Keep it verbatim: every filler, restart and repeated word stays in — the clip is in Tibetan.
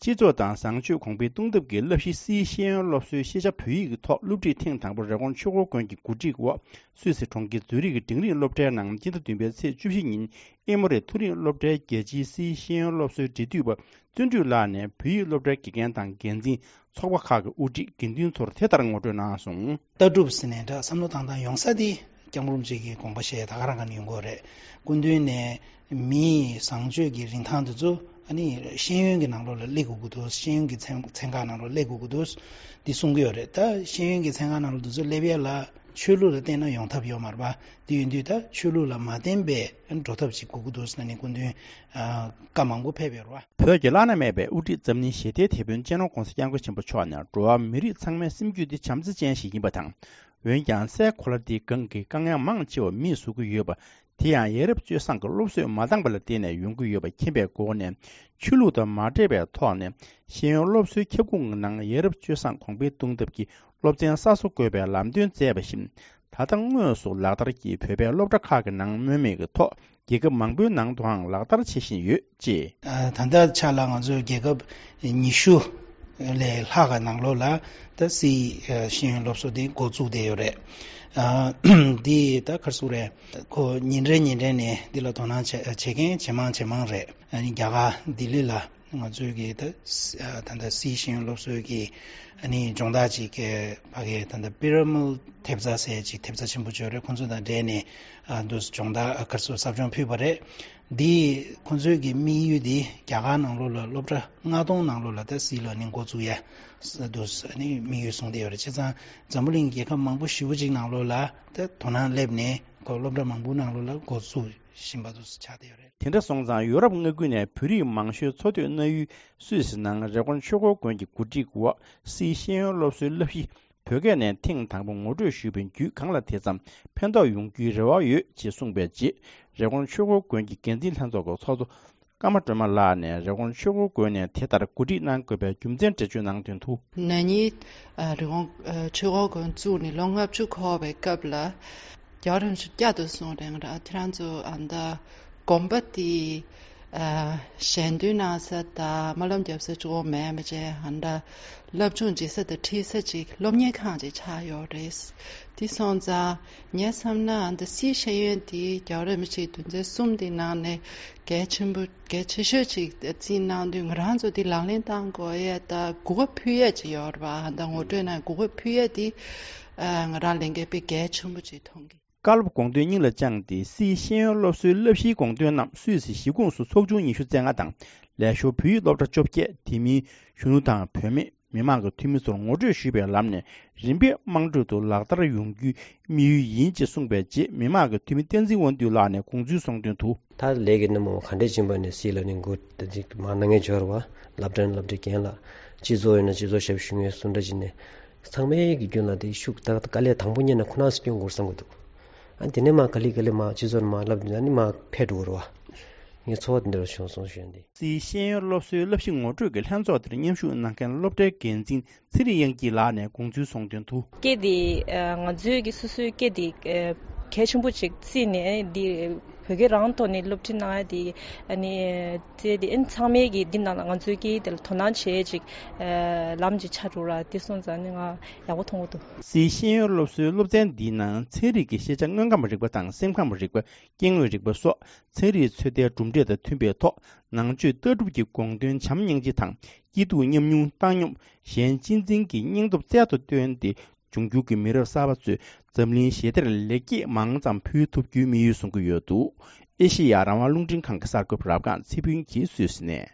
སྤྱི་ཚོགས་དང་བཟང་སྤྱོད་གོང་འཕེལ་གཏོང་ཐབས་ཀྱི་བསླབ་གཞི་སིའི་ཤེས་ཡོན་སློབ་གསོའི་ཤེས་བྱ་བོད་ཡིག་གི་ཐོག་སློབ་ཁྲིད་ཐེངས་དང་པོ་རི་ཀོན་ཆོས་འཁོར་དགོན་གྱི་གོ་སྒྲིག་འོག་སུད་སི་གྲོང་ཁྱེར་ཛུ་རིག་གི་འབྲིང་རིམ་སློབ་གྲྭའི་ནང་སྤྱི་ཟླ་བདུན་པའི་ཚེས་བཅུ་བཞི་ཉིན་ཨེ་མོ་རི་མཐོ་རིམ་སློབ་གྲྭའི་རྒྱལ་སྤྱིའི་སིའི་ཤེས་ཡོན་སློབ་གསོའི་འབྲེལ་མཐུད་པ་བརྩོན་འགྲུས་ལགས་ནས་བོད་ཡིག་སློབ་གྲྭའི་དགེ་རྒན་དང་འགན་འཛིན། ཚོགས་པ་ཁག་གི་དབུ་ཁྲིད་དགེ་འདུན་ཚོར་དེ་ལྟར་ངོ་སྤྲོད་གནང་སོང་། ལྟ་གྲུབ་ཟེར་ནས་འདྲ་བསམ་བློ་བཏང་སྟངས་ཡོང་ས་དེ་སྐྱབས་མགོན་རིན་པོ་ཆེ་གི་དགོངས་པ་བཞེས་ད་ག་རང་ག་ནས་ཡོང་གི་ཡོད་རེད། སྐུ་མདུན་ནས་མིའི་བཟང་སྤྱོད་ཀྱི་རིན་ཐང་དེ་ཚོ་ཨ་ནི་ཤེས་ཡོན་གྱི་ནང་ལོགས་ལ་སླེབས་དགོས་ཀྱི་འདུག་ཤེས་ཡོན་གྱི་ཚན་ཚན་ཁག་ནང་ལོགས་སླེབས་དགོས་ཀྱི་འདུག་འདི་གསུང་གི་ཡོད་རེད། ད་ཤེས་ཡོན་གྱི་ཚན་ཁག་ནང་ལོགས་དེ་ཚོ་སླེབས་ཡས་ལ་ཆོས་ལུགས་ལ་བརྟེན་ན་ཡོང་ཐབས་ཡོད་མ་རེད་པ། དེ་ཡིན་དུས་ད་ཆོས་ལུགས་ལ་མ་བརྟེན་པའི་འགྲོ་ཐབས་ཅིག་དགོས་ཀྱི་འདུག་ཟེར་ནས་སྐུ་མདུན་བཀའ་མང་པོ་ཕེབས་ཡོད་རེད་བ། བོད་ཀྱི་བླ་ན་མེད་པའི་དབུ་ཁྲིད་འཛམ་གླིང་ཞི་བདེའི་དེད་དཔོན་སྤྱི་ནོར་༧གོང་ས་༧སྐྱབས་མགོན་ཆེན་པོ་མཆོག་ནས་འགྲོ་བ་མི་རིགས་ཚང་མའི་སེམས་རྒྱུད་འདི་བྱམས་བརྩེ་ཅན་ཞིག་ཡིན་པ་དང་། འོན་ཀྱང་སའི་གོ་ལ་འདིའི་སྒང་གི་དཀའ་ངལ་མང་ཆེ་བ་མིས་བཟོ་གི་ཡོད་པ། དེ་ཡང་ཡ་རབས་སྤྱོད་བཟང་གི་སློབ་གསོས་མ་འདང་པ་ལ་བརྟེན་ནས་ཡོང་གི་ཡོད་པ་མཁྱེན་པའི་སྒོ་ནས་ཆོས་ལུགས་དང་མ་འབྲེལ་བའི་ཐོག་ནས་ཤེས་ཡོན་སློབ་གསོའི་ཁྱབ་ཁོངས་ཀྱི་ནང་ཡ་རབས་སྤྱོད་བཟང་གོང་འཕེལ་གཏོང་ཐབས་ཀྱི་སློབ་ཚན་གསར་བཟོ་དགོས་པའི་ལམ་སྟོན་མཛད་པ་བཞིན། ད་ལྟ་དངོས་སུ་ལག་བསྟར་གྱིས་བོད་པའི་སློབ་གྲྭ་ཁག་གི་ནང་སྨོས་མེད་ཀྱི་ཐོག་རྒྱལ་ཁབ་མང་པོའི་ནང་དུའང་ལག་བསྟར་བྱེད་བཞིན་ཡོད་ཅེས། ད་ལྟའི་ཆ་ལ་ང་ཚོའི་རྒྱལ་ཁབ་ཉི་ཤུ་ལས་ལྷག་གི་ནང་ལོགས་ལ་ད་སིའི་ཤེས་ཡོན་སློབ་གསོ་དེ་འགོ་བཙུགས་བསྡད་ཡོད་རེད། འདི་ད་ག་རེ་ཟེར་དགོས་རེད། ཁོ་ཉིན་རེ་ཉིན་རེ་ནས་འདི་ལ་དོ་སྣང་བྱེད་བྱེད་མཁན་ཇེ་མང་ཇེ་མང་རེད། རྒྱ་གར་ལྡི་ལི་ལ། ང་ཚོའི་གི་ད་ད་ལྟ་སིའི་ཤེས་ཡོན་སློབ་གསོའི་གི་ཨ་ནི་སྦྱོང་བརྡར་ཅིག་གི་ཕ་གི་ད་ལྟ་པི་ར་མལ་ཐེབས་རྩ་ཟེར་ཅིག་ཐེབས་རྩ་ཆེན་པོ་ཅིག་ཡོད་རེད། ཁོང་ཚོ་དང་འབྲེལ་ནས་ཨ་འདུག་སྦྱོང་བརྡར་ཨ་གར་སོགས་ཟབ་སྦྱོང་ཕུལ་བ་རེད། འདི་ཁོང་ཚོའི་གི་དམིགས་ཡུལ་འདི་རྒྱ་གར་ནང་ལོགས་ལ་སློབ་གྲྭ་ལྔ་སྟོང་ནང་ལོགས་ལ་ད་སི་ལར་ནིང་འགོ་བཙུགས་ཡ་འདུག་ཨ་ནི་དམིགས་ཡུལ་བཟུང་བསྡད་ཡོད་རེད། བྱས་ཙང་འཛམ་བུ་གླིང་རྒྱལ་ཁབ་མང་པོ་ཞེ་པོ་ཅིག་ནང་ལོགས་ལ་ད་དོ་སྣང་སླེབས་ནས་ཁོ་སློབ་གྲྭ་མང་པོ་ནང་ལོགས་ལ་འགོ་བཙུགས་བཞིན་པ་འདུག་ཆགས་བསྡད་ཡོད་རེད། དེ་འདྲ་སོང་ཙང་ཡུ་རོབ་མངའ་ཁུལ་ནས་བོད་རིགས་མང་ཤོས་འཚོ་སྡོད་གནང་ཡུལ་སུད་སི་ནང་རེ་ཀོན་ཆོས་འཁོར་དགོན་གྱི་གོ་སྒྲིག་འོག་སིའི་ཤེས་ཡོན་སློབ་གསོའི་བསླབ་གཞི་བོད་སྐད་ནས་ཐེངས་དང་པོ་ངོ་སྤྲོད་ཞུས་པའི་བརྒྱུད་གང་ལ་དེ་ཙམ་ཕན་ཐོགས་ཡོང་རྒྱུའི་རེ་བ་ཡོད་ཅེས་གསུངས་པའི་རྗེས་རེ་ཀོན་ཆོས་འཁོར་དགོན་གྱི་འགན་འཛིན་ལྷན་ཚོགས་ཀྱི་ཚོགས་གཙོ་ཀརྨ་སྒྲོལ་མ་ལགས་ནས་རེ་ཀོན་ཆོས་འཁོར་དགོན་ནས་དེ་ལྟར་གོ་སྒྲིག་གནང་དགོས་པའི་རྒྱུ་མཚན་འགྲེལ་བརྗོད་གནང་དོན་དུ། ན་ནིང་རི་ཀོན་ཆོས་འཁོར་དགོན་བཙུགས་ནས་ལོ་ལྔ་བཅུ་འཁོར་བའི་སྐབས་ལ། རྒྱལ་བ་རིན་པོ་ཆེ་བསྐྱར་དུ་གསུངས་རེད། ང་རང་ཁྱེད་རང་ཚོ་ཨ་མདའ་དགོན་པ་དེ་ཞལ་འདོན་གནང་ས་དང་སྨོན་ལམ་རྒྱབ་ས་གཅིག་པོ་མེད་པ་བྱས་ཨ་མདའ་སློབ་སྦྱོང་བྱེད་ས་དང་ཁྲིད་ས་ཅིག་སློབ་གཉེར་ཁང་ཅིག་ཆགས་ཡོད་རེད། དེ་སོང་ཙང་ངས་བསམ་ན་ཨ་མདའ་སིའི་ཤེས་ཡོན་དེ་རྒྱལ་བ་རིན་པོ་ཆེའི་དོན་ཚན་གསུམ་དེའི་ནང་ནས་གལ་ཆེན་པོ་གལ་ཆེ་ཤོས་ཅིག་བརྩིས་གནང་དུས་ང་རང་ཚོ་དེ་ལག་ལེན་བསྟར་དགོས་ཡས་དང་གོ་སྐབས་ཕུལ་ཡས་ཅིག་ཡོད་རེད་པ། ཨ་མདའ་ངོ་སྤྲོད་གནང་གོ་སྐབས་ཕུལ་ཡས་དེ་ང་རང་ལས་འགན་དཔེ་གལ་ཆེན་པོ་ཅིག་མཐོང་གི། བཀའ་སློབ་དགོངས་དོན་སྙིང་ལ་བཅངས་ཏེ་སིའི་ཤེས་ཡོན་སློབ་གསོའི་བསླབ་གཞིའི་དགོངས་དོན་རྣམས་སུད་སི་གཞིས་ཁོངས་སུ་ཚོགས་ཆུང་ཉི་ཤུ་རྩ་ལྔ་དང་ལས་ཞོར་བོད་ཡིག་སློབ་གྲྭ་བཅོ་བརྒྱད་དེ་མིན་གཞོན་ནུ་དང་བུད་མེད་མི་མང་གི་འཐུས་མི་ཚོར་ངོ་སྤྲོད་ཞུས་པའི་ལམ་ནས་རིམ་པས་དམངས་ཁྲོད་དུ་ལག་བསྟར་ཡོང་རྒྱུའི་དམིགས་ཡུལ་ཡིན་ཅེས་གསུངས་པའི་རྗེས་མི་མང་གི་འཐུས་མི་བསྟན་འཛིན་དབང་འདུས་ལགས་ནས་དགོངས་ཚུལ་གསུངས་དོན་དུ། ད་ལས་ཀྱི་སྣེ་མོ་ག་འདྲས་ཕྱིན་པ་ནས་སྲིད་ལ་ནི་འགོ་ད་ཅིག་མ་གནང་ངེས་འབྱོར་བ་སློབ་གྲྭ་ནས་སློབ་གྲྭའི་རྒན་ལགས་སྤྱི་ཚོགས་ཡིན་ན་སྤྱི་ཚོགས་ཞབས་ཞུ་ངེས་སུ་འདྲ་བྱས་ནས་ཚང་མའི་གི་རྒྱུན་ལ་དེ་ཤུགས་ད་དཀའ་ལས་དང་པོ་ཉིད་ནས་ཁོ་ན་སུ་སྐྱོན་དགོས་བསམ་གི་འདུག་ཨ་དེ་ནས་མ་ག་ལེ་ག་ལེ་མ་སྤྱི་ཚོགས་ནས་མ་སློབ་ཨ་ནི་མ་ཕེབས་འགྲོ་གི་རེད་བ། ངའི་ཚོར་བ་དེ་འདྲ་བྱུང་སོང་ཞུ་ཡ་འདི། སིའི་ཤེས་ཡོན་སློབ་གསོའི་བསླབ་གཞི་ངོ་སྤྲོད་ཀྱི་ལྷན་ཚོགས་དེར་མཉམ་ཞུགས་གནང་མཁན་སློབ་གྲྭའི་འགན་འཛིན་ཚེ་རིང་དབྱངས་སྐྱིད་ལགས་ནས་དགོངས་ཚུལ་གསུངས་དོན་དུ། སྐད་དེ་ང་ཚོའི་གི་སོ་སོའི་སྐད་དེ་གལ་ཆེན་པོ་ཅིག་བརྩིས་ནས་འདི་བོད་སྐད་རང་ཐོག་ནས་སློབ་ཁྲིད་གནང་ཡ་དེ་ཨ་ནི་བརྩིས་ཏེ་ཨ་ནི་ཚང་མས་གི་འདི་ནང་ལ་ང་ཚོའི་སྐད་དེ་ལ་དོ་སྣང་བྱེད་ཅིག་ལམ་ཅིག་ཆགས་འགྲོ་ར་དེ་སོང་ཙང་ནི་ང་ཡག་པོ་མཐོང་གི་འདུག་སིའི་ཤེས་ཡོན་སློབ་གསོའི་སློབ་ཚན་འདིའི་ནང་ཚན་རིག་གི་ཤེས་བྱ་དངོས་ཁམས་རིག་པ་དང་སེམས་ཁམས་རིག་པ། སྐྱེ་དངོས་རིག་པ་སོགས་ཚན་རིག་ཚོད་ལྟའི་གྲུབ་འབྲས་དང་མཐུན་པའི་ཐོག་ནང་ཆོས་ལྟ་གྲུབ་ཀྱི་དགོངས་དོན་བྱམས་སྙིང་རྗེ་དང་སྐྱིད་སྡུག་མཉམ་མྱོང་བཏང་སྙོམས་གཞན་གཅེས་འཛིན་གྱི་སྙིང་སྟོབས་རྩལ་དུ་བཏོན་ཏེ་འབྱུང་འགྱུར་གྱི་མི་རབས་གསར་པ་ཚོས་འཛམ་གླིང་ཞི་བདེར་ལེགས་སྐྱེས་མང་ཙམ་ཕུལ་ཐུབ་རྒྱུའི་དམིགས་ཡུལ་བཟུང་གི་ཡོད་འདུག་ཨེ་ཤེ་ཡ་རང་དབང་རླུང་འཕྲིན་ཁང་གི་གསར་འགོད་པ་རབ་སྒང་ཚེ་ཕུན་གྱིས་སུད་སི་ནས།